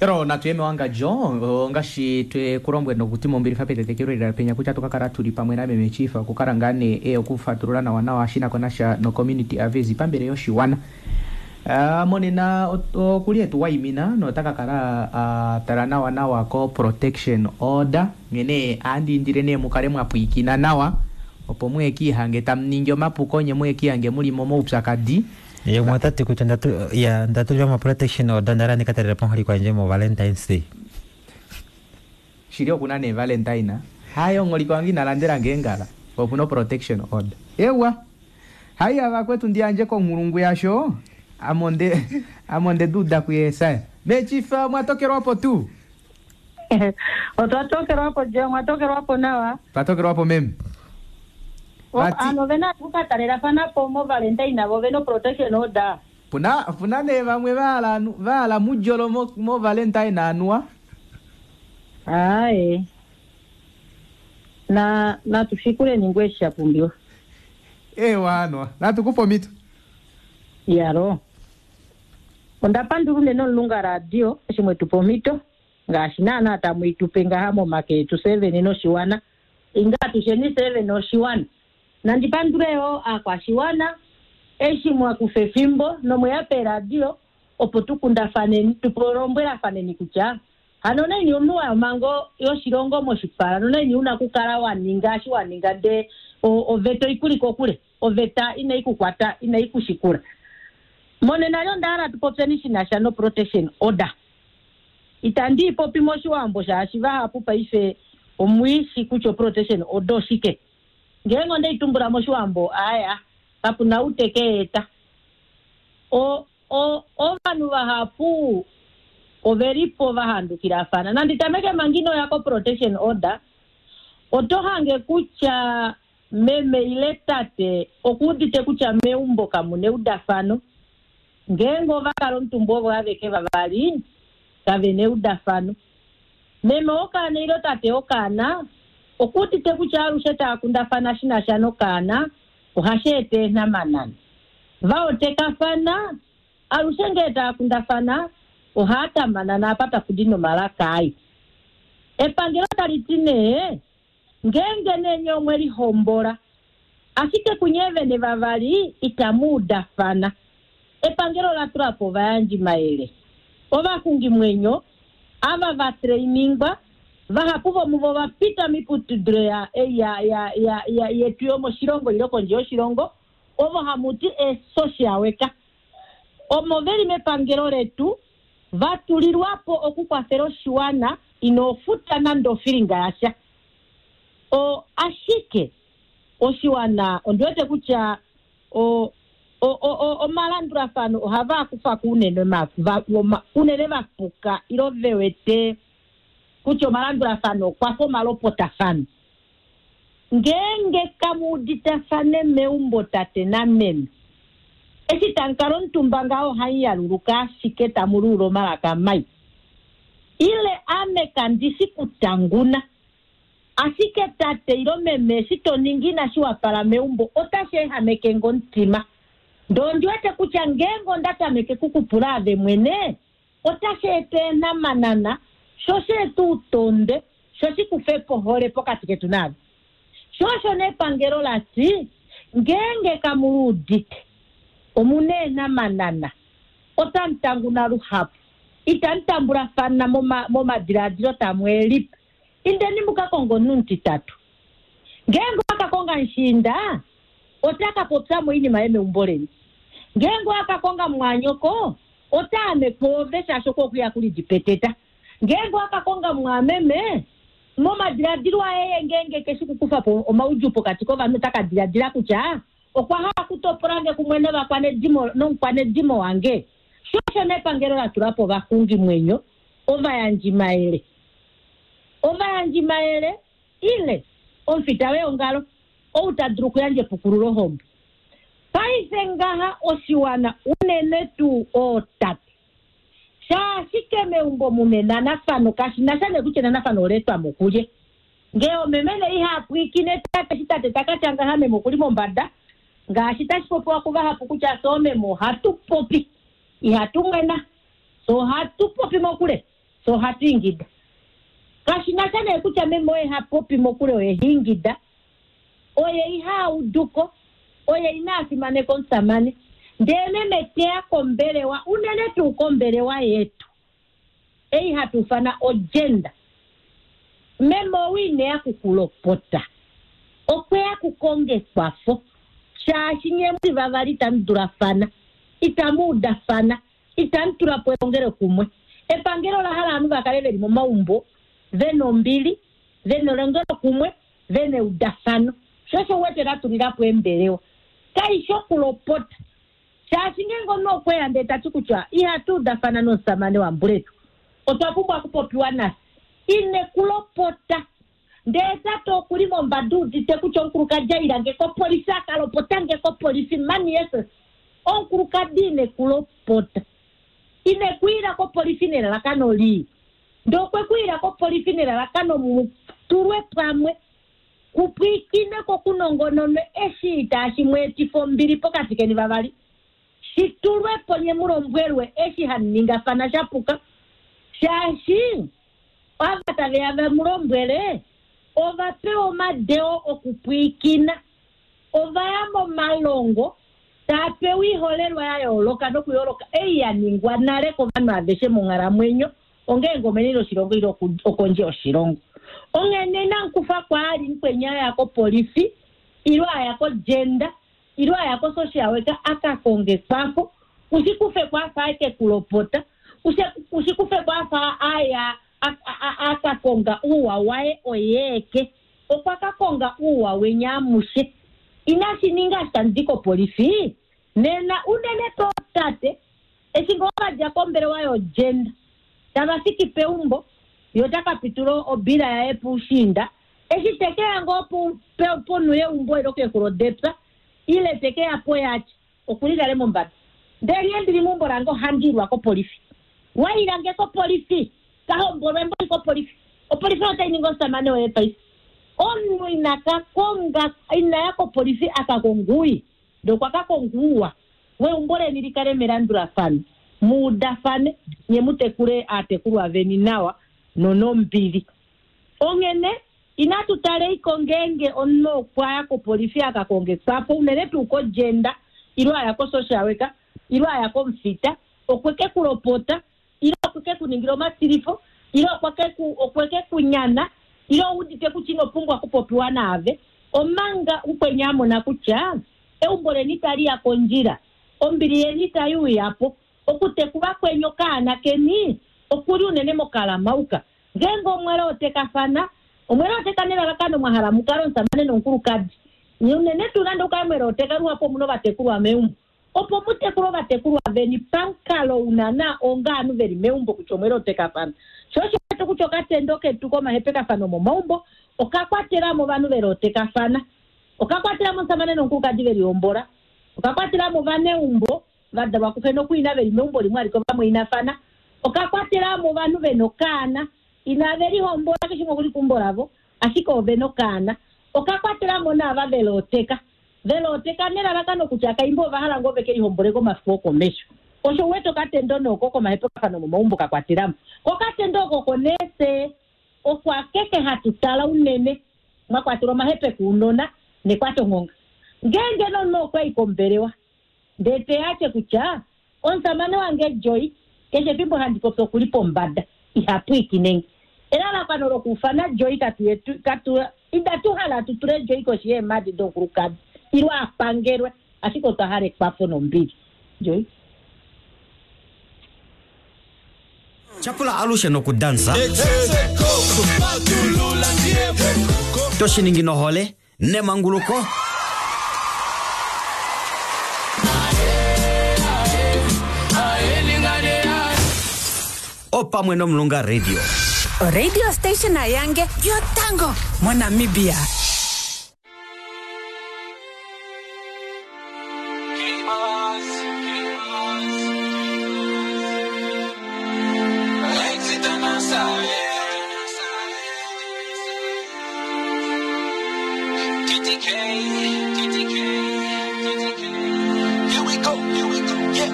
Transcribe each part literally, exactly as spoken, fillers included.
Pero natu ye mewangadjo ongaashi twe kulombwele nokuti mombilifa petetekelo lela penya kutya tukakala tuli pamwe nameme Chief okukala ngaa nee e okufatulula nawa nawa shi nako nasha no community affairs pambele yoshiwana. Uh, monena okuli etu waimina nota ka kala uh, tala nawa nawa ko protection order nghene andi indile nee mukale mwa pwiikina nawa opo muye kiihange tamu ningi omapuko nye muye kiihange muli momaupyakadi. Ye umwe ota ti kutya ndatu ya ndatulilwa mo protection order ndala ndika talela po omuholike wandje mo Valentine's Day. Shili okuna nee Valentine hayi omuholike wange ina landela nge eengala po opuna protection order. Ewa haiya vakwetu ndiyandje konghulungu yasho ame onde ame onde duuda kuYesaya. Mechifa mwatokelwapo tuu? Otwa tokelwapo je, omwa tokelwapo nawa. Twatokelwapo meme. Vati Ano vena okukatalelafana po mo Valentine vo vena protection order. puna puna nee vamwe vahala vahala mudjolo mo, mo Valentine anuwa. Aaye. Na natu shikuleni ngoo eshi sha pumbiwa. Ewa anuwa natu kupe omhito. Yalo. Onda pandula unene omulunga radio eshi mwetupa omhito ngaashi naana tamu itupe ngaha momake etu seven noshiwana. Inga atusheni seven noshiwana. Nandi pandule yo aakwashiwana eshi mwakufa efimbo nomweya peradio opo tukundafaneni tulombwelafaneni kutya hano naini omunhu wa omhango yoshilongo moshipala nonaini una okukala wa ninga eshi wa ninga ndee oveta oikuli kokule oveta inai kukwata inai kushikula. Monena lyo onda hala tupopyeni shi na sha no protection order. Itandi ipopi moshiwambo shaashi vahapu paife omwiishi kutya protection order oshike. Ngeenge onde itumbula moshiwambo aya kapuna ou teke eta. O o ovanhu vahapu ovelipo vahandukilafana. Nandi tameke manga inoya ko protection order oto hange kutya meme ile tate okuudite kutya meumbo kamuna eudafano. Ngeenge ova kala omutumba ovo aveke vavali kavena eudafano. Meme wokaana ile tate wokaana okuudite kutya alushe tava kundafana shi na sha nokaana ohashi eta eenhamanana. Vaotekafana alushe ngee tava kundafana ohaa tamanana apa tapu di nomalaka ai. Epangelo tali ti nee ngeenge nee nye omwe lihombola ashike kunye vene vavali itamu udafana. Epangelo la tula po ovayandjimayele ovaxungimwenyo ava va trainingwa vahapu vomuvo va pita miiputudilo ya, ya, ya, ya, ya, yetu yomoshilongo ile kondje yoshilongo ovo hamu ti ee-social worker omo veli mepangelo letu va tulilwapo okukwafela oshiwana ino futa nande ofilinga yasha. O ashike oshiwana ondi wete kutya o o o omalandulafano ohava kufa ko unene unene vapuka ilo ve wete kutya omalandulafano okwafa omalopotafano. Ngeenge kamu uditafane meumbo tate nameme eshi tamu kala omutumba ngaho ohamu yaluluka ashike tamu luula omalaka mai. Ile ame kandishi kutanguna ashike tate ilo meme eshi to ningi inashi wapala meumbo otashi ehameke ngo omutima. Ndee ondi wete kutya ngeenge onda tameke kukupula ave mwene otashi eta eenhamanana sho shi eta outonde sho shi kufe po ohole pokati ketu naave. Sho osho nee epangelo lati ngeenge kamu luudite omuna eenhamanana otamu tanguna luhapu itamu tambulafana momadiladilo tamu elipa. Indeni muka konga omunhu omutitatu. Ngeenge owaka konga mushiinda ota ka popya mo oinima yomeumbo leni. Ngeenge owaka konga mumwanyoko ota ame kwoove shaashi oko okuya kulidipeteta. Ngeenge owaka konga mumwameme momadiladilo aye ngeenge keshi kukufa po omaudjuu pokati kovanhu ota ka diladila kutya okwa hala okutopola nge kumwe novakwanedimo nomukwanedimo wange. Sho osho nee epangelo la tula po ovaxungimwenyo ovayandjimayele. Ovayandjimayele ile omufita weongalo ou ta dulu okuyandja epukululo hombo. Paife ngaha oshiwana unene tuu ootate shaashike meumbo muna enanafano kashi na sha nee kutya enanafano ola etwa mo kulye. Ngee omeme nee iha pwiikine tate eshi tate taka tya ngaha meme okuli mombada ngaashi tashi popiwa kuvahapu kutya fye oomeme ohatu popi ihatu mwena fye ohatu popi mokule. So ohatu ingida. Kashi na sha nee kutya meme oye ha popi mokule oye ha ingida, oye iha uduko, oye ina fimaneka omusamane. Ndele meme teya kombelewa, unene tuu kombelewa yetu ei hatu ufana ogenda, meme ou ineya kukulopota, okweya kukonga ekwafo, shaashi nye muli vavali itamu dulafana, itamu udafana, itamu tula po elongelo kumwe. Epangelo ola hala ovanhu va kale veli momaumbo vena ombili, vena elongelo kumwe, vena eudafano. Sho osho wete la tulila po embelewa, kaishi okulopota, shaashi ngeenge omunhu okweya ndee tati kutya ihatu udafana nomusamane wambuletu, otwa pumbwa okupopiwa nafye, ine kulopota. Ndee tate okuli mombada udite kutya omukulukadi ailange kopolifi, akalopotange kopolifi, mani Jesus, omukulukadi ine kulopota, ine kuila kopolifi nelalakano lii, ndee okwe kuila kopolifi nelalakano mutulwe pamwe, kupwiikine ko kunongononwe eshi itashi mweetifa ombili pokati keni vavali, shitulwe po nye mulombwelwe eshi haningafana shapuka, shaashi ava taveya vamulombwele ova pewa omadeo okupwiikina, ova ya momalongo taa pewa iiholelwa ya yooloka nokuyooloka ei ya ningwa nale kovanhu aveshe monghalamwenyo, ongeenge omeni loshilongo ile okondje yoshilongo. Onghene namukufa kwaali mukwenya aya kopolifi, ile aya kogenda, ile aya ko-social worker aka konge ekwafo, ushikufe kwafa aeke kulopota, ushikufe kwafa aya aka konga uuwa waye oyeeke, okwa ka konga uuwa wenyamushe. Inashi ninga shitandi kopolifi nena unene to tate eshi ngoo vadja kombelewa yogenda tava fiki peumbo, yo taka pitula obila yaye puushinda, eshi tekeya ngoo ponhu yeumbo ilo kexulo depya, ile tekeya poyatya okuli nale mombada. Ndele nghee ndili meumbo lange ohandi ilwa kopolifi, wailange kopolifi, kahombolwe mboli kopolifi, opolifi otai ningi omusamane woye paife. Omunhu ina ka konga, ina ya kopolifi aka kongui, ndee okwa ka konguwa, weumbo leni li kale melandulafano, muudafane, nye mu tekule aatekulwa veni nawa nonombili. Onghene inatu taleiko ngeenge omunhu okwa ya kopolifi aka konge ekwafo, unene tuu kogenda, ile aya ko-social worker, ile aya komufita, okwe ke kulopota, ile okwe ke kuningila omatilifo, ile okwe ke ku-, okwe ke kunyana, ile oudite kutya ino pumbwa okupopiwa naave, omanga ukwenya a mona kutya eumbo leni tali ya kondjila, ombili yeni itai uya po, okutekula kwenyu okaana keni okuli unene mokalamauka. Ngeenge omwele otekafana, omwele oteka nelalakano mwa hala mu kale omusamane nomukulukadi, unene tuu nande ukale mwele oteka luhapu omuna ovatekulwa meumbo, opo mu tekule ovatekulwa veni pamukalo una onga ovanhu veli meumbo kutya omwele otekafana. Sho osho wetu kutya okatendo ketu komahepekafano momaumbo okakwatela mo ovanhu veli otekafana, okakwatela mo omusamane nomukulukadi veli hombola, okakwatela mo ovaneumbo va dalwa kuxe nokuina veli meumbo limwe aliko vamwainafana, okakwatela mo ovanhu vena okaana inave lihombola keshe shimwe okuli keumbo lavo, ashike ove nokaana, okakwatela mo naava veli oteka, veli oteka nelalakano kutya kaimbo ova hala ngoo veke lihombole komafiku okomesho. Osho wete okatendo noko komahepekafano momaumbo ka kwatelamo. Kokatendo oko konese okwa keke hatu tala unene mwa kwatelwa omahepeko ounona nekwatongonga. Ngeenge nomunhu okwa i kombelewa ndee teya kutya omusamane wange Joy keshe efimbo handi popi okuli pombada iha pwiikinenge. Elalakano lokuufana Joy katu yetu, katu, itatu hala tu tule Joy koshi yeemadi domukulukadi ile a pangelwe, ashike otwa hala ekwafo nombili. Joy. Chapula alushe nokudansa. Toshiningi nohole nemanguluko. Opamwe nomulunga radio. Radio station ayange yotango moNamibia. Here we go, here we go, yeah.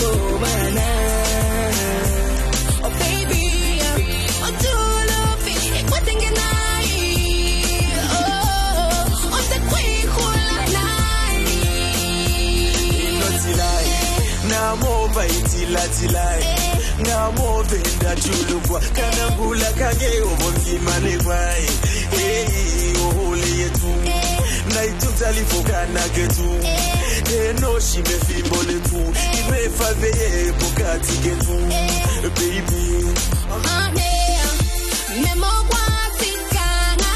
Tobana. Oh baby, otulufi ikwatengenai. Oh, otakwihula nani. inotilai namova itilatilai namove ndachulukwa kana ngula kange ovonzimanekwai ei ohole yetu naitutalifokana ketu enoshimefimbo letu imefaveye pokati ketu baby Mane, memogwatikana.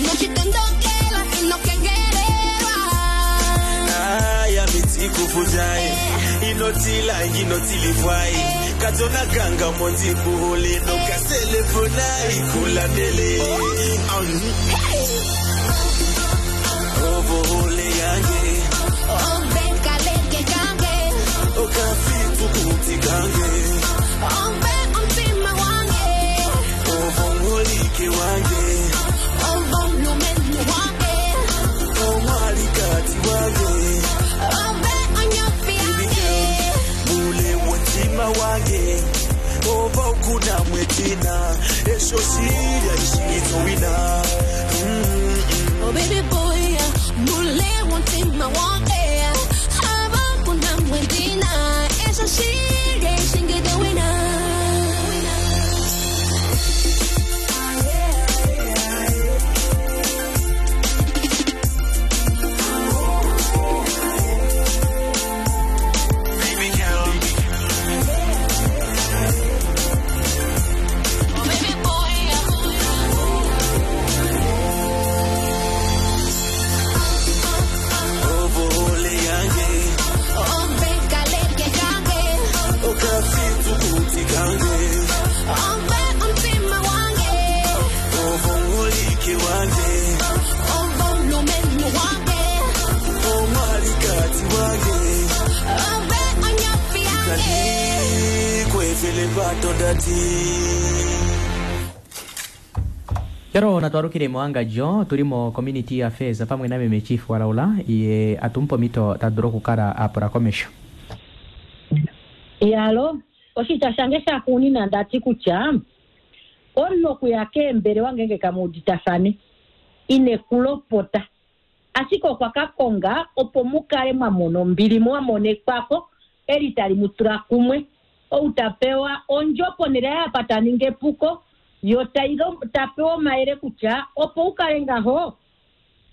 Nochitondokela inokengelelwa. aya mitikufuzai inotila inotilifwai katona kanga monzikuhole nokaselefonai kulandele ovohole yange Obekaleke kange. okafitukuti kange Obe omtima wange. ovongolike wange Ovolumenu wange. omwalikati wange Obe onyofi yange. mule wotima wange oba okuna mwetina esho shilya ishingitowina Oh baby boy, mule wontima wange. Haba kuna mwendina. Esho shire shingide wina. Baby girl. Oh baby boy. Ovohole yange Obekaleke kange. okafitukuti kange Obe omtima wange. ovongolike wange Ovolumenu wange. omwalikati wange Obe onyofi yange. kanikwefele patondati Yaro natwarukile muangajo tuli mo community affairs pamwe na meme chief walaula ye atumpa omito tadulu okukala apula komesho yalo oshitya shange shaxuunina ndati kutya omunhu okuya keembelewa ngenge kamuuditafane ine kulopota ashike okwa ka konga opo mu kale mwa mona ombili mwa mona ekwafo eli tali mu tula kumwe ou ta pewa ondjo ponhele yaye apa ta ningi epuko yo tai lo- ta pewa omayele kutya opo u kale ngaho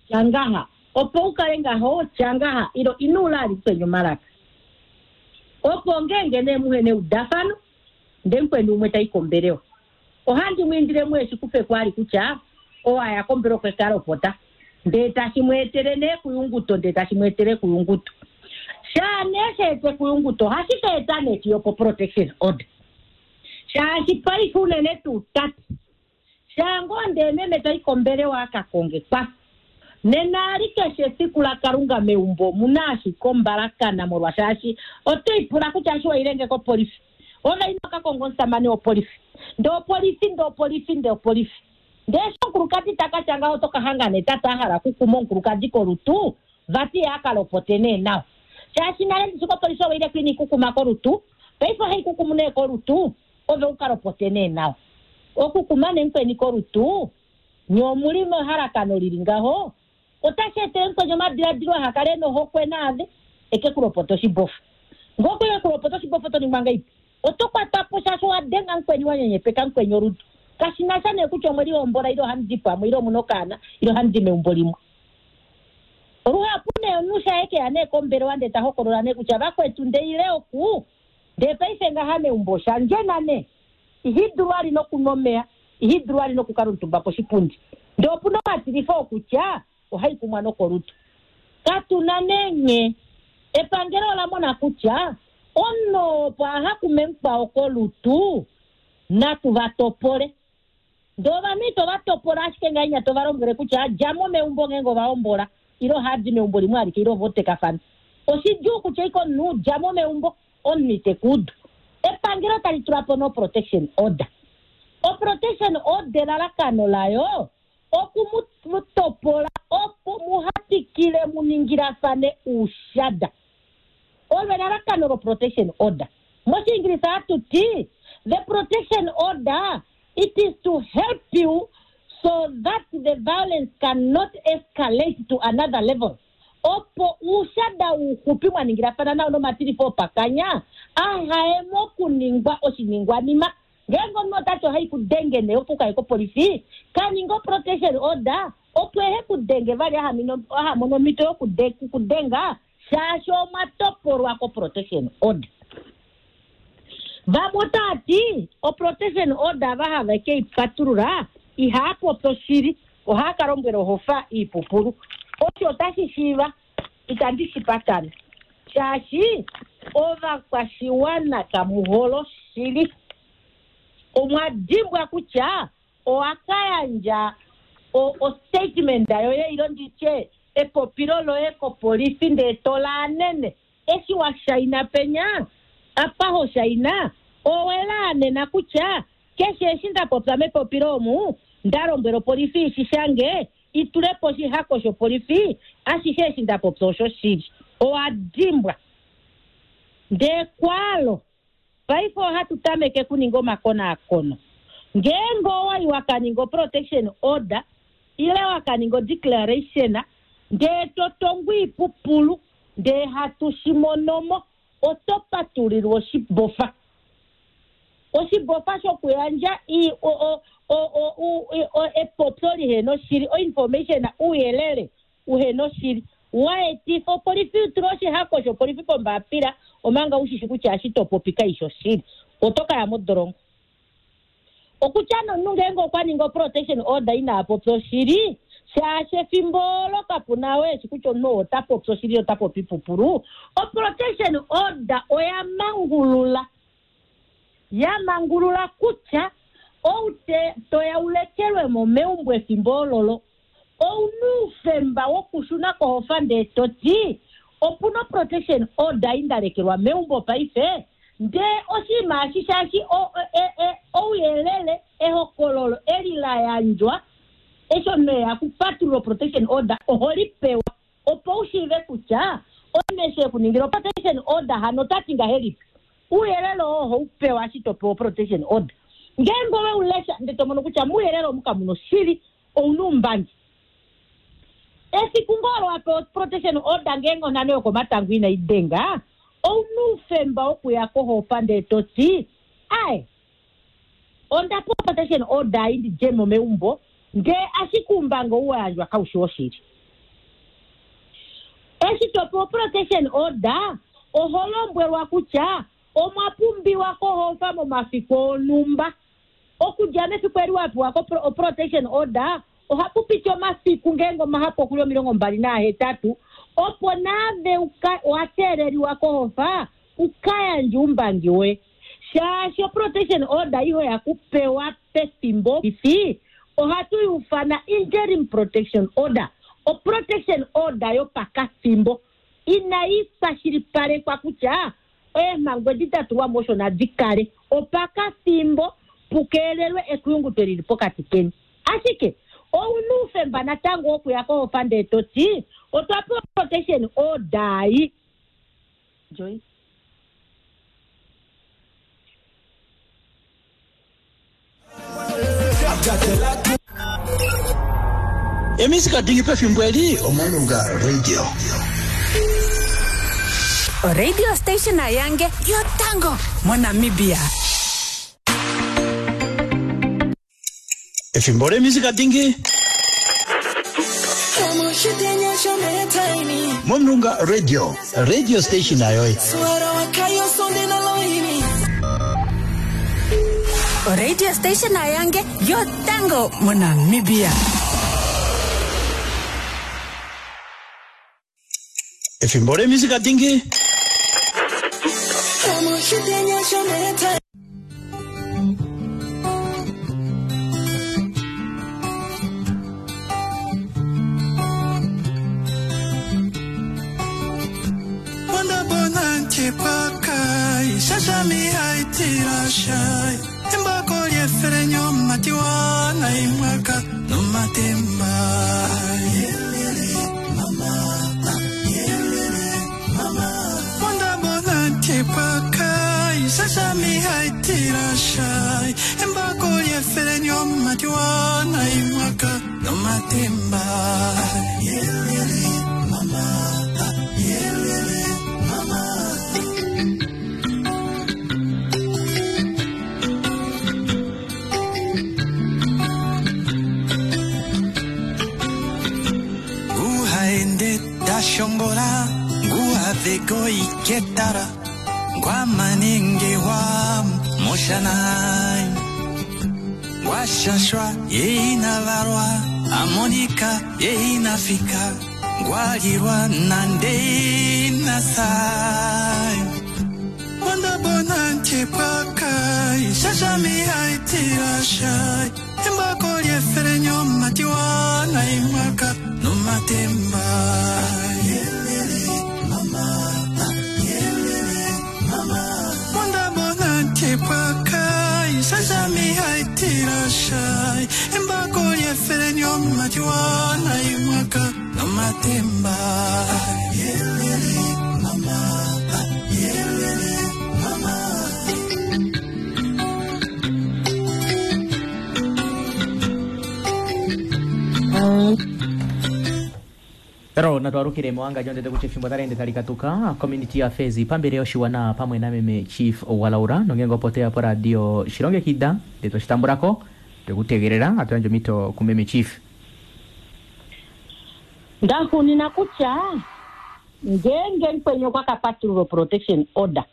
tya ngaha opo u kale ngaho tya ngaha ilo ino ula ali kwenye omalaka opo ngenge nee muhe neudafano ndee mukweni umwe tai kombelewa ohandi mwindile mweshi kufe kwali kutya owaya kombelewa kwekalopota ndee tashi mweetele nee kuyunguto ndee tashi mweetele kuyunguto shaa nee sheete kuyunguto ohashi ka eta nee chiyopo protection order shaashi paife unene tuu tati shaa ngoo ndee meme tai kombelewa aka konge kwafo nena ali keshe esiku lakalunga meumbo omuna ashike ombalakana molwashaashi otoipula kutya ashi wailenge kopolifi ove ino ka konga omusamane wopolifi ndee opolifi ndee opolifi ndee opolifi ndee eshi omukulukadi taka tya ngaho oto ka hanga nee tata a hala okukuma omukulukadi kolutu vati ye a ka lopote nee nawa shaashi nale ndishi kopolifi owaile ku ina ikukuma kolutu paife ohai kukumu nee kolutu ove u ka lopote nee nawa okukuma nee mukweni kolutu nye omuli mehalakano lili ngaho otashi etele mukweni omadiladilo aha kale nohokwe naave eke kulopota oshibofa ngoko eke kulopota oshibofa oto ningwa ngaipi oto kwatwa po shaashi owa denga mukweni wa nyenyepeka mukweni olutu kashi na sha nee kutya omwe lihombola ile ohamu di pamwe ile omuna okaana ile ohamu di meumbo limwe luhapu nee omunhu shaye keya nee kombelewa ndee ta hokolola nee kutya vakwetu ndeile oku ndee paife ngaha meumbo shandjena nee ihi dulu ali nokunwa omeya ihi dulu ali nokukala omutumba poshipundi ndee opuna omatilifo okutya ohai kumwa nokolutu katuna nee nye epangelo ola mona kutya omunhu opo aha kume mukwao kolutu natu va topole ndee ovanhu ito va topola ashike ngainya to va lombwele kutya djamo meumbo ngeenge ova hombola ile ohadi meumbo limwe alike ile ovotekafana oshidjuu kutya ike omunhu djamo meumbo omunhu ite kuudu epangelo tali tula po no protection order oprotection order elalakano layo oku mu- mu topola opo muhatikile mu ningilafane uushada Olo elalakano lo-protection order. Moshiingilisa hatu ti the protection order, it is to help you so that the violence cannot escalate to another level. Opo uushada uuxupi mwa ningilafana nao nomatilifo opakanya ahaye mokuningwa oshiningwanima. Ngeenge omunhu otati ohai kudenge nee opo ukaye kopolifi, kaninga o-protection order opo ehe kudenge vali aha mono omhito yokudenga shaashi omwa topolwa ko-protection order. Vamwe otava ti o-protection order ava hava ke i patulula ihaa popi oshili, ohaa ka lombwela ohofa iipupulu. Osho otashi shiiva, itandi shi patana shaashi ovakwashiwana kamuhole oshili. Omwa dimbwa kutya owa ka yandja o-statement yoye ilo nditye epopilo loye kopolifi ndee to laanene. Eshi wa shaina penya apa ho shaina owe laanena kutya keshe eshi nda popya mepopilo omu nda lombwela opolifi ishi shange itulepo oshihako shopolifi, ashishe eshi nda popya osho shili. Owa dimbwa. Ndee kwalo paife ohatu tameke kuninga omakonaakono. Ngeenge owa i wa kaninga o-protection order ile wa kaninga o-declaration ndee to tongo iipupulu ndee hatu shi monomo, oto patulilwa oshibofa. Oshibofa shokuyandja epopyo lihena oshili, o-information ouyelele uhena oshili wa etifa opolifi utule oshihako shopolifi pombapila omanga ushishi kutya eshi to popi kaishi oshili, oto kaya modolongo. Okutya nomunhu ngeenge okwa ninga o-protection order inaa popya oshili, shaashi efimbo olo kapuna we eshi kutya omunhu ota popi oshili ota popi ipupulu, o-protection order oya mangulula. Ya mangulula kutya ou te toya ulekelwe mo meumbo efimbo ololo, ouna oufemba wokushuna kohofa ndee to ti opuna o-protection order indalekelwa meumbo paife, ndee oshinima eshi shaashi ouyelele ehokololo eli la yandjwa eshi omunhu eya kupatulula o-protection order oho li pewa opo u shiive kutya omunhu eshi ekuningila o-protection order hano ota ti ngahelipi. Ouyelele oo oho u pewa eshi to pewa o-protection order. Ngeenge owe u lesha ndee to mono kutya mouyelele omu kamu na oshili, ouna oumbangi. Efiku ngoo olo wa pewa protection order ngeenge onhano yokomatango inai denga, ouna oufemba wokuya kohofa ndee to ti ae onda pewa protection order ei ndi dje mo meumbo ndee ashike oumbangi ou wa yandjwa kaushi woshili. Eshi to pewa protection order oho lombwelwa kutya omwa pumbiwa kohofa momafiku onhumba. Okudja mefiku eli wa pewa ko protection order ohapu piti omafiku ngeenge omahapu okuli omilongo mbali naahetatu opo naave wa teeleliwa kohofa uka yandje oumbangi woye. Shaashi o-protection order iho ya kupewa pefimbo ifi, ohatu i ufana interim protection order. O-protection order yopakafimbo inai kwashilipalekwa kutya eemhango edi da tulwa mo osho nadi kale opakafimbo pukeelelwe ekuyunguto lili pokati keni. Ashike ouna oufemba natango wokuya kohofa ndee to ti otwa pewa protection order ei. Joy. Emisika dingi pefimbo eli Omulunga Radio. Radio station yange yotango moNamibia. Efimbo lemisika dingi Momulunga Radio, radio station ayoyi. Radio station yange yotango moNamibia. Efimbo lemisika dingi Mama, nyomatiwana imwaka nomatemba yelele mama yelele mama. Nguhaende tashongola nguhaveko iketara ngwamanengewa moshanai ngwashashwa yeinavarwa amonika yeinafika ngwalirwa nandeinasai wandabona ntipwakai shashamiaitirashai embako lyefere nyomatiwana imwaka nomatemba yelele mama yelele mama wandabona ntipwakai shashamiaitirashai embako lyefere nyomatiwana imwaka nomatemba yelele mama yelele mama. Pero natwarukire mwanga jonde kuti fimbo tarende talikatuka community affairs pambere yoshiwana pamwe na meme chief walaura nongengo potea po radio shilonge kida ndeto shitambulako tekutegerera atuyanjo mito kumeme chief Ndakunina kutya ngenge nkwenye kwakapatulula protection order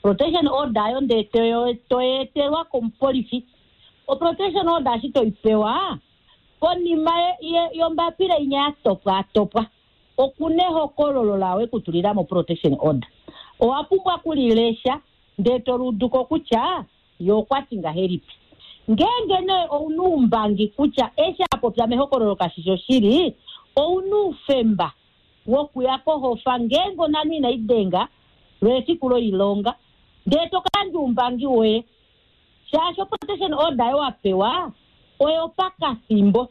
protection order ayo nde toyo- toyetelwa komupolifi o protection order ashi toipewa konima ye- ye- yombapila inya yatopwa atopwa okuna ehokololo lawe kutulila mo protection order owa pumbwa kulilesha ndee toluduko kutya ye okwati ngahelipi ngenge nee ouna oumbangi kutya eshi apopya mehokololo kashishi oshili ouna oufemba wokuya kohofa ngenge onanu inayi denga lwefiku loilonga ndee tokayandja oumbangi woye shaashi protection order yo wapewa oyo pakathimbo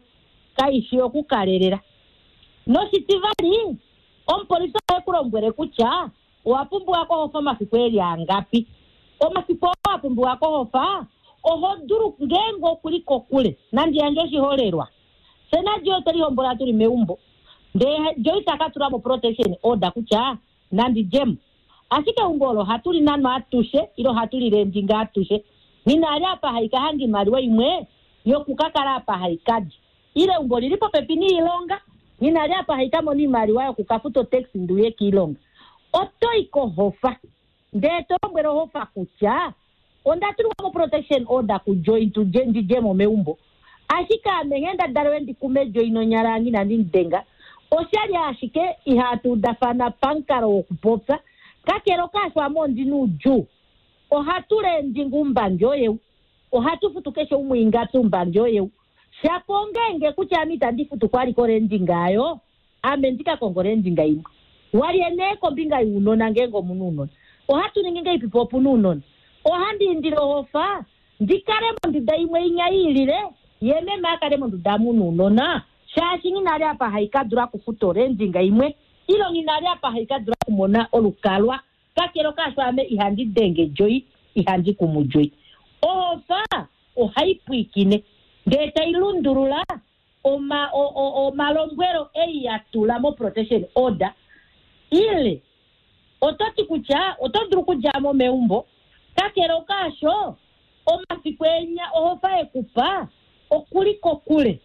kaishi okukalelela noshitivali omupolisi ohe ku lombwele kutya owa pumbiwa kohofa omafiku eli angapi omafiku oo wa pumbiwa kohofa oho dulu ngeenge okuli kokule nandi yandje oshiholelwa fye naJoy otwe lihombola tuli meumbo ndee Joy taka tula mo protection order kutya nandi djemo ashike eumbo olo ohatu li nanwa atushe ile ohatu li lendinga atushe nina ali apa haika hanga imaliwa imwe yokukakala apa haikadi ile eumbo lili popepi niilonga nina ali apa haika mona imaliwa yokukafuta otaxi nduye kiilonga otoyi kohofa ndee to lombwele ohofa kutya onda tulwa mo protection order kuJoy tuje ndidjemo meumbo ashike ame nghee nda dalelwe ndikume Joy nonyala yange inandi mudenga oshali ashike ihatu udafana pamukalo wokupopya kakele okaasho ame ondina oudjuu ohatu lendinga oumbangi oyeu ohatu futu keshe umwe ingapi oumbangi oyeu shapo ongenge kutya ame itandi futu kwaliko lendinga ayo ame ndikakonga olendinga imwe walye nee kombinga younona ngeenge omuna ounona ohatu ningi ngeipi po opuna ounona ohandi indile ohofa ndikale monduda imwe inya iilile ye meme akale monduda muna ounona shaashi nghinali apa haikadula okufuta olendinga imwe ilo nghinali apa haikadula okumona olukalwa kakele okaasho ame ihandi denge Joy ihandi kumu Joy ohofa ohai pwiikine ndee tai lundulula oma- o- o- omalombwelo ei ya tula mo protection order ile oto ti kutya oto dulu okudjamo meumbo kakele okaasho omafiku enya ohofa ekupa okuli kokule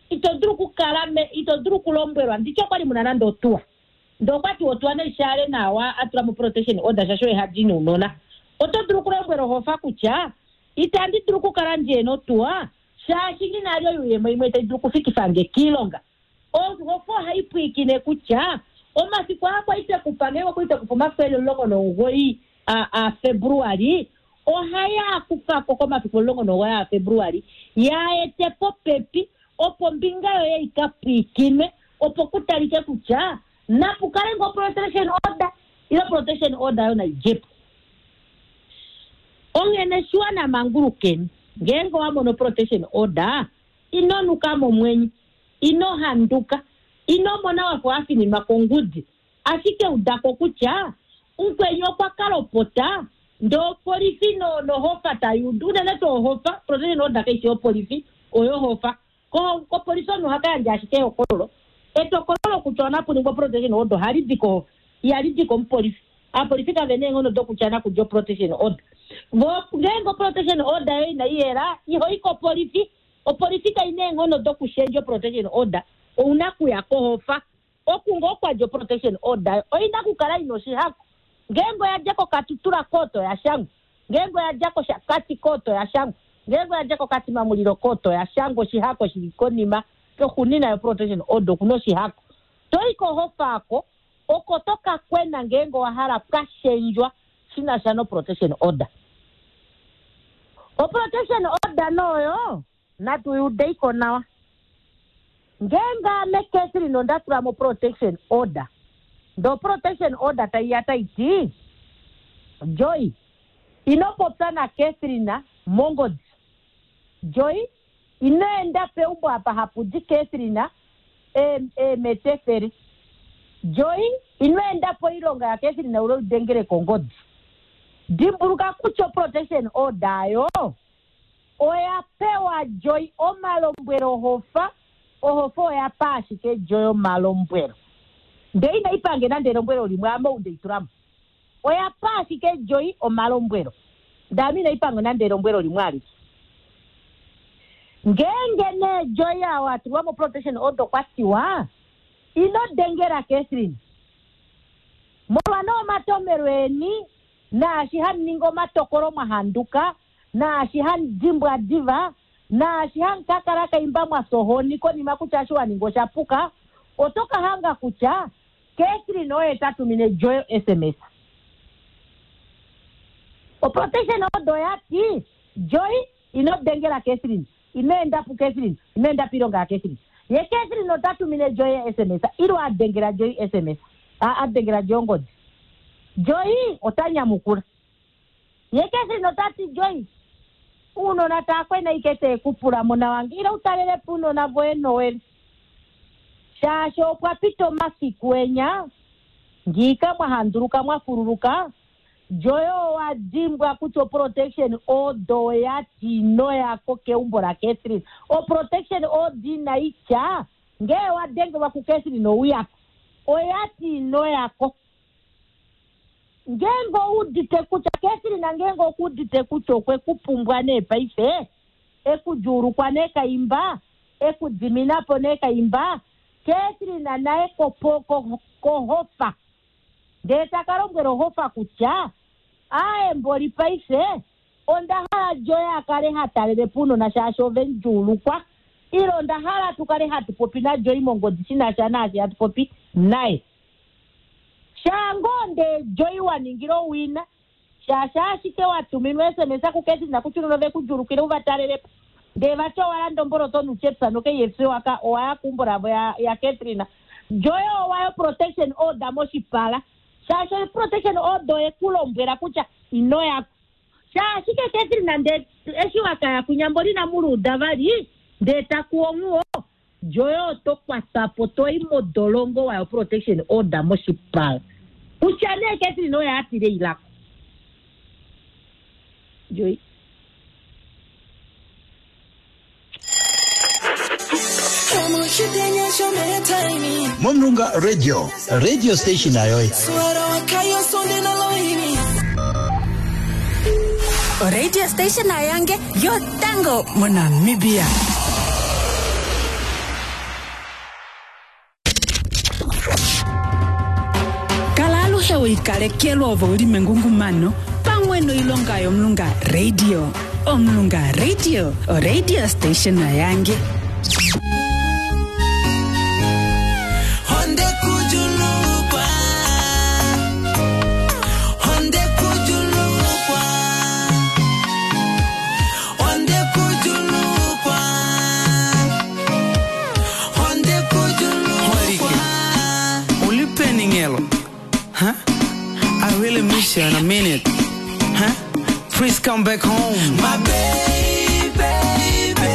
ito dulu okukala me ito dulu okulombwelwa nditye okwali muna nande otuwa ndee okwati otuwa naishale nawa atula mo protection order shaashi oye hadi nounona oto dulu okulombwela ohofa kutya itandi dulu okukala ndiyena otuwa shaashi nginali oyuuyemo imwe tai dulu okufikifa nge kiilonga ohofa ohai pwiikine kutya omafiku aa kwali tekupa ngeenge okwali tekupa omafiku eli omulongo nomugoyi a- a Februali ohaya kufako komafiku omulongo nomugoyi a Februali yaete popepi opo ombinga yoye ika pwiikinwe opo kutalike kutya napu kale ngoo protection order ile protection order yo naidjepo onghene shiwana mangulukeni ngeenge owa mono protection order ino nuka momwenyo ino handuka ino mona wafa wafininwa kongudi ashike udako kutya mukweni okwa kalopota ndee opolifi no- nohofa tayudu unene tuu ohofa protection order kaishi yopolifi Oyohofa kopolisi omunhu ohaka yandja ashike ehokololo. Etokolo lokutya onapuningwa protection order ohali di kohofa, ihali di komupolifi. Aapolifi kave na eenghono dokutya nakudja protection order. Vo ngeenge protection order yoye inayi yela, ihoyi kopolifi. Opolifi kaina eenghono dokushendja protection order, ouna kuya kohofa. Oku ngoo kwadja protection order oina kukala ina oshihako. Ngeenge oya dja koKatutura kooto ya shangwa, ngeenge oya dja kOshakati kooto ya shangwa, ngeenge oya dja koKatima Mulilo kooto ya shangwa, oshihako shili konima koxunina yo protection order okuna oshihako. Toyi kohofa ako oko toka kwena ngeenge owa hala pwashendjwa shina sha no protection order. O protection order noyo natu yudeiko nawa. Ngeenge ame Catherine onda tula mo protection order, ndo protection order taiya taiti Joy ino popya na Catherine mongodi. Joy ino enda peumbo apa hapu di Catherine emetefere. Joy ino enda poilonga ya Catherine ule udengele kongodi. Dimbuluka kutya protection order yo oya pewa Joy omalombwelo hofa. Ohofa oya pa ashike Joy omalombwelo, ndee ina ipange nande elombwelo limwe ame ou ndeitulamo. Oya pa ashike Joy omalombwelo, ndee ame ina ipange nande elombwelo limwe alike. Ngeenge nee Joy awo atulwa mo protection order kwa tiwa ino dengela Catherine molwa nee omatomelo eni naashi hamu ningi omatokolo mwa handuka, naashi hamu dimbwa diva, naashi hamu kakala kaimba mwa sohoni konima kutya eshi wa ninga osha puka, oto ka hanga kutya Catherine oye ta tumine Joy S M S. O protection order oya ti Joy ino dengela Catherine, ino enda pu Catherine, ino enda piilonga ya Catherine. Ye Catherine ota tumine Joy S M S, ilo a dengela Joy S M S, a, a dengela Joy ongodi. Joy ota nyamukula. Ye Catherine ota ti Joy uunona taa kwena ike te kupula mona wange, ila utalele po uunona voye Noel. Shaashi opwa pita omasiku enya, ngiika mwa handuluka mwa fululuka, Joy owa dimbwa kutya o protection order oya ti ino yako keumbo la Catherine. O protection order inayi tya ngee wa dengelwa ku Catherine ouyako, oya ti ino yako. Ngeenge oudite kutya Catherine ngeenge okuudite kutya okwe ku pumbwa nee paife, ekudjuulukwa nee kaimba, ekudiminapo nee kaimba, Catherine naye kopo-, ko-, kohofa. Ndee taka lombwela ohofa kutya aye mboli paife onda hala Joy a kale ha talele po uunona shaashi ove mudjuulukwa, ile onda hala tu kale hatu popi naJoy mongodi shi na sha naashi hatu popi naye. Shango nde Joy wa ningila owina, shaashi ashike wa tuminwa S M S ku Catherine kutya uunona ove ku djuulukile u va talele po. Ndee vati owa landa omboloto nuchepsa no K F C waka owa ya keumbo lavo ya, ya Catherine. Joy owa yo protection order moshipala, shaashi protection order oye ku lombwela kutya ino yako. Shaashi ke Catherine nde eshi wakaya kunyamboli na muluda vali, ndee taku onguwo, Joy oto kwatwa po toyi modolongo wayo protection order moshipala. Kutya nee Catherine oye atile ilako. Joy. Momulunga Radio, radio station ayoy. Radio station ayange yotango moNamibia. Kala aluhe wiikalekelwa ove uli mengungumano pamwe noilonga yOmulunga Radio. Omulunga Radio, radio station ayange. Honde kujulukwa. Honde kujulukwa. Honde kujulukwa. Honde kujulukwa. Ulipeningelo. Huh? I really miss you in a minute. Huh? Please come back home. My baby, baby.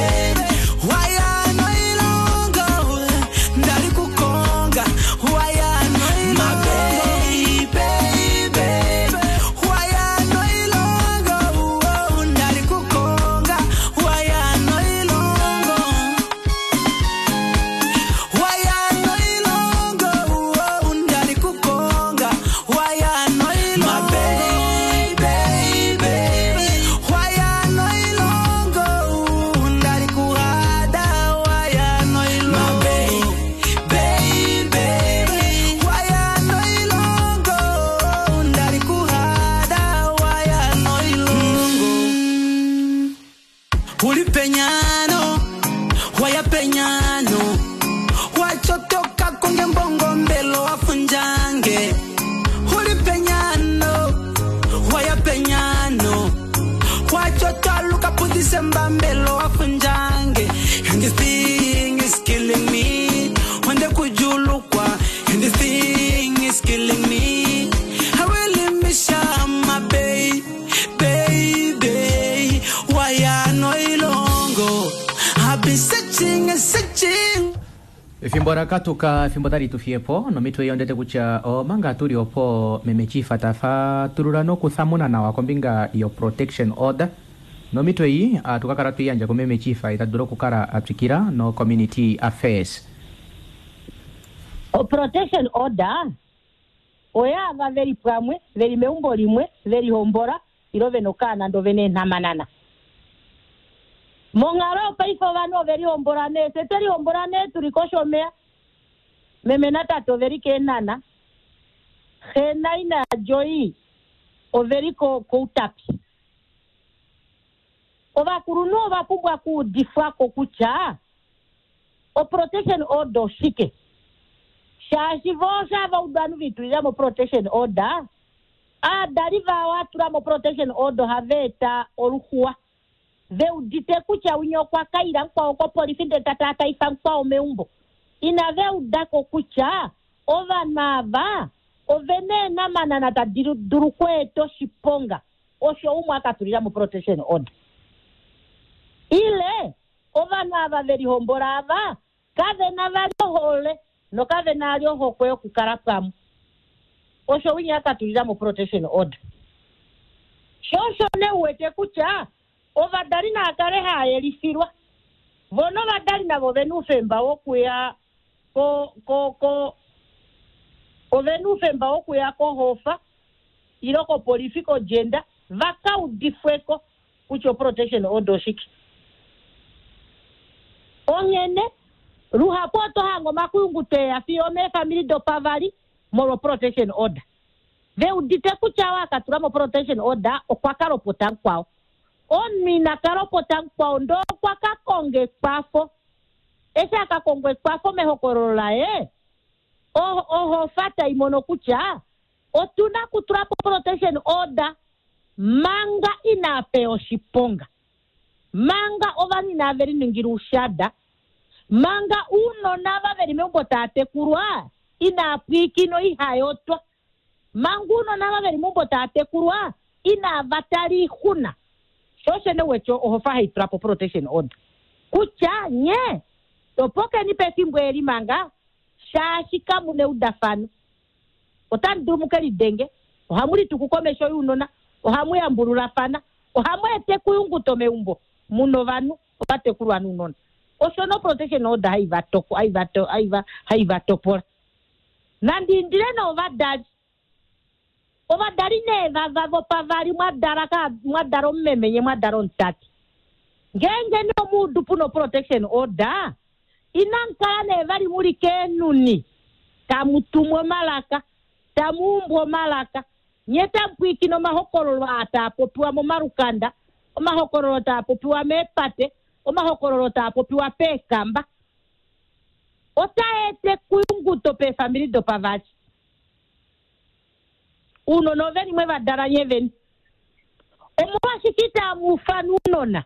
Why I no longer ndali kukonga? Why I no My baby, baby. Why I no longer ndali kukonga? Why I no longer Penyano waya penyano wachotoka konge mbongo mbelo wafunjange uli penyano waya penyano wachotwaluka pudisemba mbelo wafunjange. And this thing is killing me wende kujulukwa. And this thing is killing me. I really miss ya, my babe, baby. Why no ilongo? I've been searching and searching. Efimbo lakatuka, efimbo tali tufiyepo nomitwe iyo ndete kutya omanga tuli opo meme Chief tafatulula nokuthamuna nawa kombinga yo protection order nomitwe iyi atukakala twiyandja ku meme Chief itadula okukala atwikila no community affairs. O protection order oyaava veli pamwe veli meumbo limwe veli hombola ilo vena okaana ndo vena eenhamanana. Monghalo yopaife ovanhu oveli hombola nee, fye tweli hombola nee tuli koshomeya, meme natate oveli keenhana, xe naina yaJoyi oveli ko- koutapi. Ovakulunhu ova pumbwa okuudifwako kutya o protection order oshike, shaashi vo shava udu ovanhu viitulila mo protection order, aadali vao atula mo protection order ohava eta oluxuwa veudite kutya winya okwa kaila mukwao kopolifi ndele ta taifa mukwao meumbo. Inave udako kutya ovanhu ava ovena eenhamanana tadi dulu okweeta oshiponga osho umwe akatulila mo protection order. Ile ovanhu ava velihombola ava kavena vali ohole nokavena vali ohokwe yokukala pamwe, osho winya akatulila mo protection order. Sho osho nee uwete kutya ovadali naa kale haa yelifilwa, vo novadali navo ovena oufemba wokuya ko ko ko ovena oufemba wokuya kohofa ilo kopolifi kojenda vaka udifweko kutya o protection order oshike. Onghene luhapu oto hanga omakuyungu teya fiyo meefamili dopavali molwa protection order. Veudite kutya oo akatula mo protection order okwa kala opota mukwao. Omunhu ina kala opota mukwao ndoo okwa ka konga ekwafo. Eshi aka konga ekwafo mehokololo laye, o-, ohofa tai mono kutya otuna kutula po protection order manga ina pewa oshiponga, manga ovanhu inave liningila oushada, manga uunona ava veli meumbo tava tekulwa inaa pwiikina ihayotwa, manga uunona ava veli meumbo tava tekulwa inava tala oixuna. Sho osho nee wete ohofa hai tula po protection order kutya nye topokeni pefimbo eli manga shaashi kamu na eudafano, otamu dulu muke lidenge, ohamu lituku komesho younona, ohamu yambululafana, ohamu ete ekuyunguto meumbo muna ovanhu ovatekulwa nounona. Osho no protection order hai va toko, hai va to, hai va, hai va topola. Nandi indile novadali, ovadali nee vava vopavali mwadala ka, mwadala omumeme nye mwadala omutate, ngeenge nee omuudu puna protection order, inamu kala nee vali muli keenuni tamu tumwa omalaka, tamu umbwa omalaka, nye tamu pwiikina omahokololo aa taa popiwa momalukanda, omahokololo taa popiwa meepate, omahokololo taa popiwa peekamba. Otaa ete ekuyunguto peefamili dopavali. Uunona oveni mwe va dala nye veni. Omolwashike itamu ufana uunona?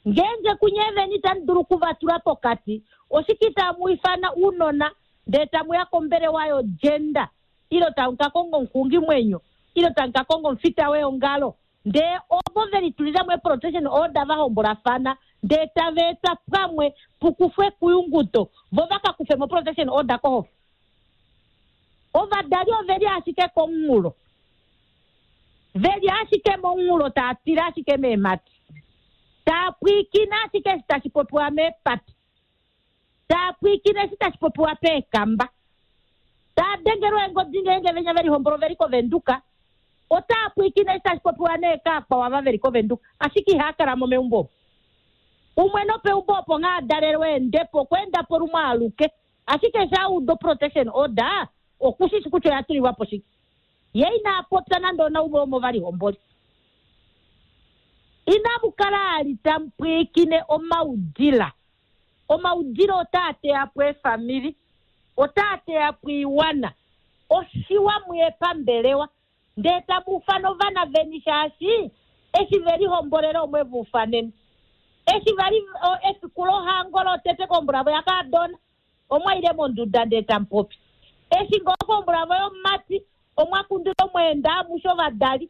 Ngeenge kunye veni tamu dulu okuvatula pokati, oshike itamu ifana uunona ndele tamu ya kombelewa yogender, ilo tamu ka konga omuxungimwenyo, ilo tamu ka konga omufita weongalo, ndee ovo ve litulila mo protection order va hombolafana, ndee tava eta pamwe pukufwe ekuyunguto, vo va ka kufe mo protection order kohofa. Ovadali oveli ashike komunghulo, veli ashike momunghulo, taa tila ashike meemhati, taa pwiikina ashike eshi tashi popiwa meepati, taa pwiikina eshi tashi popiwa peekamba, taa dengelwa eengodi ngeenge venya veli hombolo veli kovenduka, otaa pwiikina eshi tashi popiwa neekakwawo ava veli kovenduka, ashike ihaa kala mo meumbo omo. Umwe nopeumbo opo nghaa dalelwe eendepo, okwa enda po lumwe aluke, ashike eshi a uda protection order, okushishi kutya oya tulilwa po shike. Ye ina popya nande onaumwe womuvalihomboli. Inamu kala ali tamu pwiikine omaudila. Omaudila otaa teya po eefamili, otaa teya po iwana. Oshiwa muye pambelewa ndee tamu ufana ovana veni shaashi eshi velihombolele omwe va ufaneni. Eshi vali efiku lohango lotete kombola vo yakaadona omwaile monduda ndee tamupopi. Eshi ngoo kombola vo yomumati omwa kundila omweenda amushe ovadali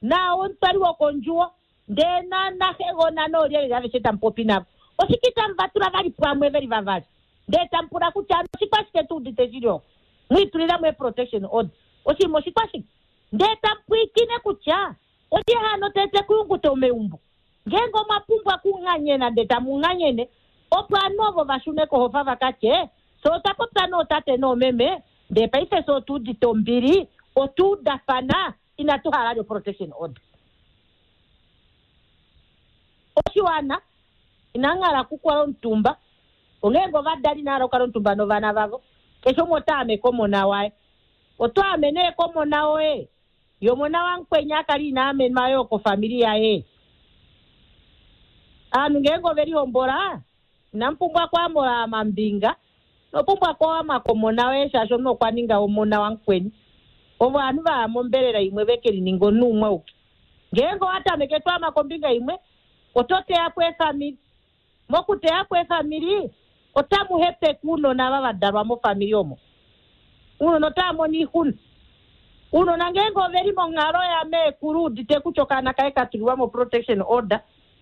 nao omutwali wokondjuwo ndee naxegona noolyelye aveshe tamupopi navo. Oshike tamu va tula vali pamwe veli vavali ndee tamupula kutya oshikwashike tuudite shili oko mwiitulilamo e-protection order oshinima oshikwashike ndee tamupwiikine kutya olye hano tete kuyunguta omeumbo ngeenge omwa pumbwa kunganyena ndee tamunganyene opo ovanhu ovo vashune kohofa vakatye so otwa popya nootate noomeme ndee paife so otuudite ombili otuudafana inatu hala lyo protection order. Oshiwana inanghala kukwala omutumba ongeenge ovadali inahala okukala omutumba novana vavo keshe umwe ota ame komona waye oto ame nee komona woye yomona wamukweni akali ina amenwa yo kofamili yaye. Aanhu ngeenge ovelihombola inamupumbwa kwamola amambinga nopumbwa kwama komona woye shaashi omunhu okwa ninga omona wamukweni. Ovo ovanhu vaya mombelela imwe veke lininga omunhu umwe uke. Ngeenge owatameke twama kombinga imwe oto teya po eefamili. Mokuteya po eefamili otamu hepeke uunona ava vadalwa mofamili omo. Uunona otava mono oixuna. Uunona ngeenge oveli monghalo ya meekulu udite kutya okaana kaye ka tulilwa mo protection order,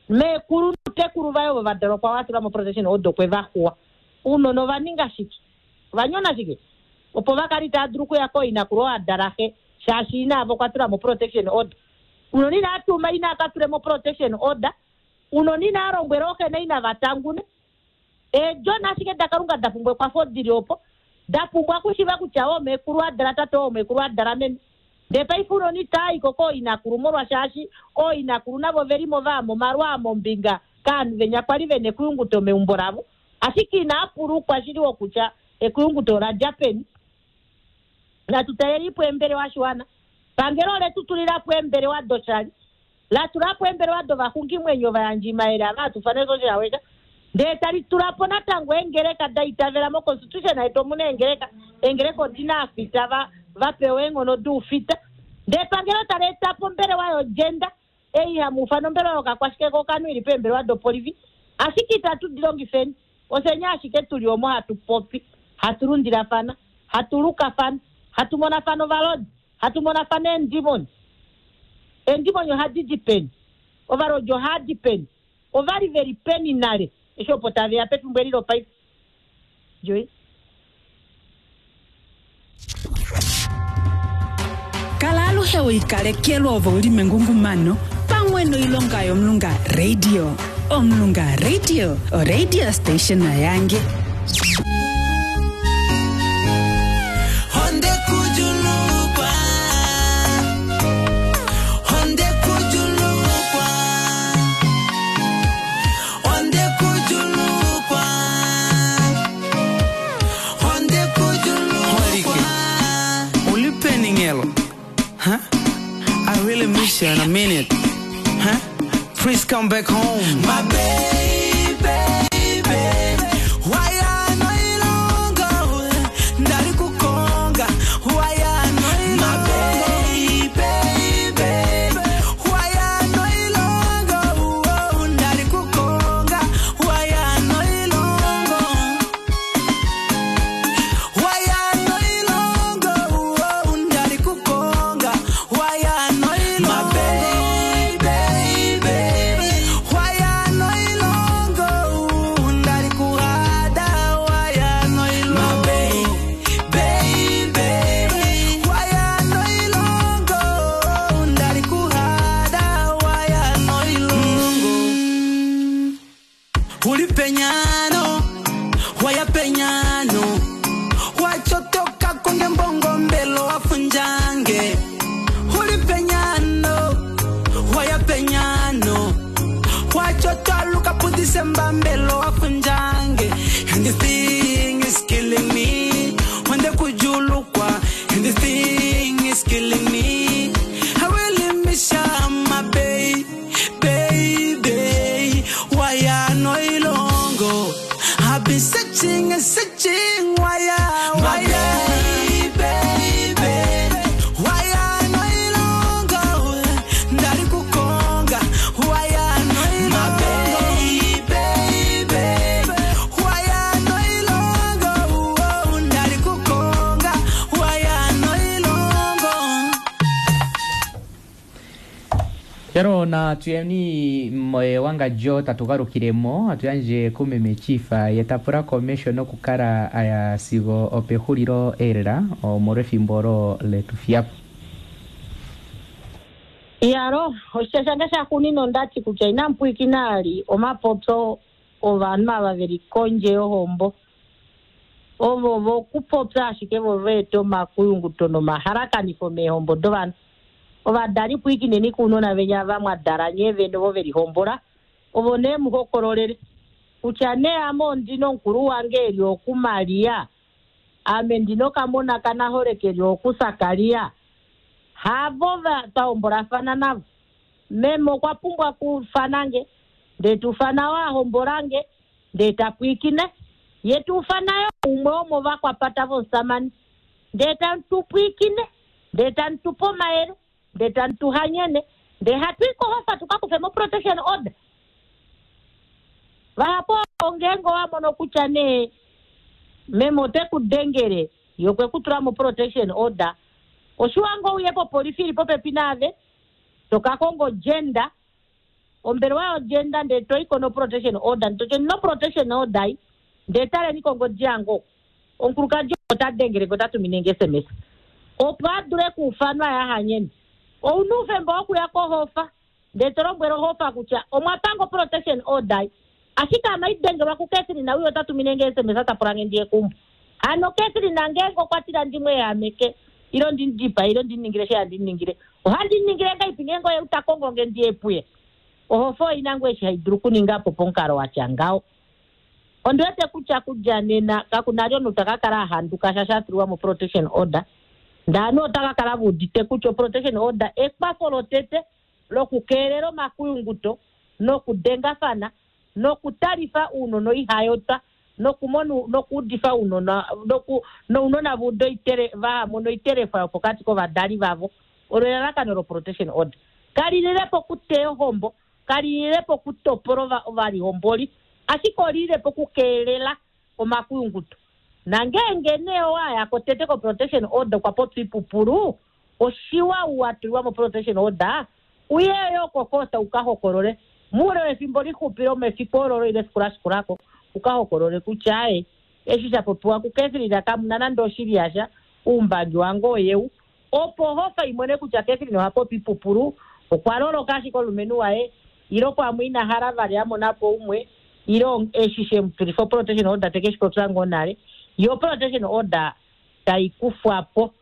meekulu notekulu vaye ovo vadalwa kwa watulwa mo protection order okwe va xuwa. Uunona ova ninga shike? Ova nyona shike? Opo vakali tava dulu okuya kooinakulu oo adala xe shaashi ina avo okwa tula mo protection order. Uunona ina tuma ina aka tule mo protection order. Uunona ina lombwela ooxe naina va tangune. Eedjona ashike daKalunga da pumbwa ekwafo dili opo da pumbwa okushiva kutya oomekulu adala tate oomekulu adala meme. Ndee paife uunona itaayiko kooinakulu molwashaashi ooinakulu navo velimo vaama omalwa mombinga kaanhu venya kwali vena ekuyunguto meumbo lavo ashike inaa pulukwa shili wokutya ekuyunguto ola dja peni. Natu talelipo eembelewa shiwana. Pangelo ole tu tulilapo eembelewa doshali la tulapo eembelewa dovaxungimwenyo vayandjimayele ava hatufane social worker ndee tali tulapo natango eengeleka da itavela mo constitution yetu omuna eengeleka eengeleka odina afita va vapewa eenghono duufita ndee pangelo tali etapo ombelewa yogender ei hamu ufana ombelewa yokakwashike kokanhu ili peembelewa dopolifi ashike itatu di longifeni osenya ashike tuli omo hatu popi hatu lundilafana hatu lukafana hatu monafana ovalodi hatu monafana eendimoni. Eendimoni ohadi di peni ovalodi ohadi peni ovali veli peni nale eshi opo taveya pefimbo eli lopaife. Joy. Kala aluhe weikalekelwa ovo uli mengungumano pamwe noilonga yOmulunga Radio. Omulunga Radio, oradio station yange. Honde kujulukwa. Honde kujulukwa. Honde kujulukwa. Honde kujulukwa. Ulipeningelo. Huh? I really miss you and I mean it. Huh? Please come back home. My baby, baby. Why I no longer ndali kukonga? Why I no My baby, baby. Why I no longer ndali kukonga? Why I no longer? Why I no longer ndali kukonga? Why I no My baby, baby. Why I no longer ndali kuhada? Why I no My baby, baby. Why I no longer ndali kuhada? Why I no longer Ulipenyano, wayapenyano. Wachotoka konge mbongo mbelo wafunjange. Ulipenyano, wayapenyano. Wachotwaluka pu December mbelo wafunjange. And this thing is killing me. Onde kujulukwa. And this thing is killing me. I really miss ya, my babe, baby. Noilongo. I've been searching and searching, why I, why I, baby, why I noilongo, ndari kukonga, why I noilongo, baby, why I noilongo, oh, ndari kukonga, why I noilongo. Yaro na tuyeni moye wanga jo tatugalukilemo atuyandje kumeme chifa yetapula komesho nokukala aya sigo opehulilo elela omolwefimbo olo letufiyapo. Iyalo oshitya shange shaxunina ondati kutya inampwikina ali omapopyo ovanhu ava veli kondje yohombo ovo vokupopya ashike vo veeta omakuyunguto nomahalakanifo meehombo dovanhu. Ovadali pwiikineni kuunona venya vamwadala nyee vene ovo velihombola ovo nee muhokololele kutya nee ame ondina omukulu wange eli okuMaria, ame ndina okamona kanahole keli okuSakaria, havo twahombolafana navo. Meme okwa pumbwa kufanange ndee tufana wahombolange ndee tapwiikine ye tufanayo umwe womovakwapata vomusamane ndee tamutupwiikine ndee tamutupe omayele ndee tamutuhanyene ndee hatwikohofa tukakufe mo protection order. Vahapo ngeenge owamono kutya nee meme ote ku dengele ye okwe ku tula mo protection order, oshiwa ngo uye popolifi ili popepi naave tokakonga ogender, ombelewa yogender ndee toiko no protection order, ndee no protection order ndee taleni kongodi yange oku omukulukadi ota dengele ota tumine nge S M S opo a dule kuufanwa yahanyene. Ouna oufemba wokuya kohofa ndee to lombwele ohofa kutya omwa panga protection order, ashike ame idengelwa kuCatherine uyo ota tumine nge S M S ta pula nge ndiye kumbo. Hano Catherine ngeenge okwa tila ndimweehameke ilo ndindipa ilo ndiningile she handiningile, ohandiningile ngaipi ngeenge oye uta kongo nge ndiye puye. Ohofa oina ngoo eshi haidulu kuninga po pomukalo watya ngaho. Ondiwete kutya kudja nena kakuna li omunhu ta ka kala a handuka sha sha tulwa mo protection order, ndaanhu ota ka kala veudite kutya protection order ekwafo lotete lokukeelela omakuyunguto nokudengafana nokutalifa ounona oihayotwa nokumona nokuudifa ounona noku nounona vaude oitere vahamona oiterefa yopokati kovadali vavo. Olo elalakano lo protection order kalililepo okuteya ohombo, kalililepo okutopola ovalihomboli, ashike olililepo okukeelela omakuyunguto. Nangeenge nee owaya kotete ko protection order kwa popya ipupulu, oshiwa watulwa mo protection order uye yo kokota ukahokolole muule wefimbo lixupi lomefiku olo ile efiku lashikulako ukahokolole kutya aye eshi sha popiwa kuCatherine kamuna nande oshili yasha, uumbangi wange oyeu, opo hofa imone kutya Catherine oha popi ipupulu, okwa loloka ashike omulumenhu waye ilo pamwe ina hala vali a mona po umwe ilo eshi shemutulifa protection order teke shi popya ngoo nale, yo protection order tai kufwa po.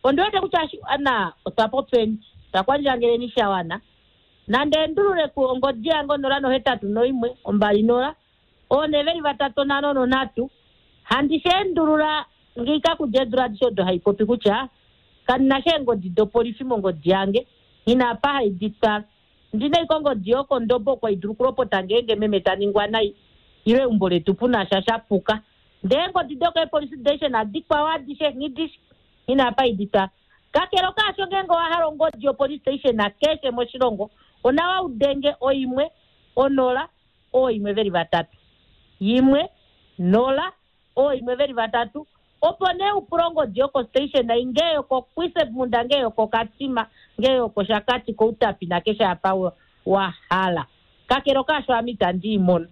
Ondiwete kutya ana otwa popyeni takwandjangeleni shawana nande endulule ku ongodi yange onola nohetatu noimwe ombali nola one veli vatatu nhano nonhatu handi shendulula ngiika kudja eedula adishe odo haipopi kutya kandina sha eengodi dopolifi mongodi yange inapa haidi twala ndina iko ongodi yokondobo okwa idulu okulopota ngeenge meme ta ningwa nai ile eumbo letu puna sha shapuka ndee eengodi dokeepolice station adikwao adishe nghidishe inapa haidi twala. Kakele okaasho ngeenge owa hala ongodi yopolice station keshe moshilongo onawa udenge oimwe onola oimwe veli vatatu yimwe nola oimwe veli vatatu opo nee upule ongodi yoko station ngee yokoKuisebmunda ngee yokoKatima ngee yokoShakati kOutapi nakeshe apa wa hala. Kakele okaasho ame itandi i mono.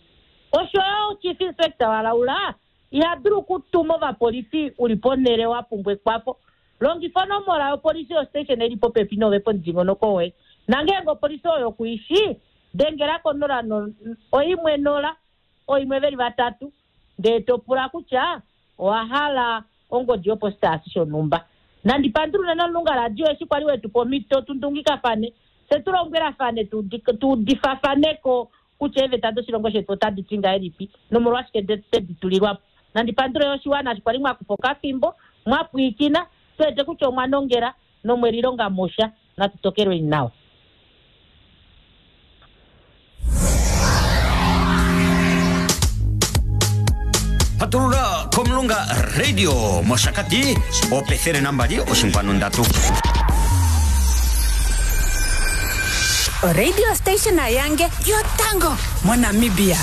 Osho yo chief inspector walaula iha dulu okutuma ovapolifi uli ponhele wa pumbwa ekwafo. Longifa onomola yopolisi yostation eli popepi nove pomudingonoko woye. Nangeenge opolisi oyo kuishi dengela konola no, oimwe nola oimwe veli vatatu ndee to pula kutya owa hala ongodi yopositaasi shonhumba. Nandi pandulule nomulunga radio eshi kwali wetu pomhito tundungikafane fye tu lombwelafane tuudifafaneko kutya eeveta doshilongo shetu otadi ti ngahelipi nomolwashike tedi tulilwapo. Nandi pandule oshiwana eshi kwali mwakufa okafimbo mwapwiikina tuwete kutya omwa nongela nomwelilonga mosha natu tokelweni nawa. Patulula komulunga radio moshakati opethele nambali oshinkwanu ndatu. Oradio station yange yotango monamibia.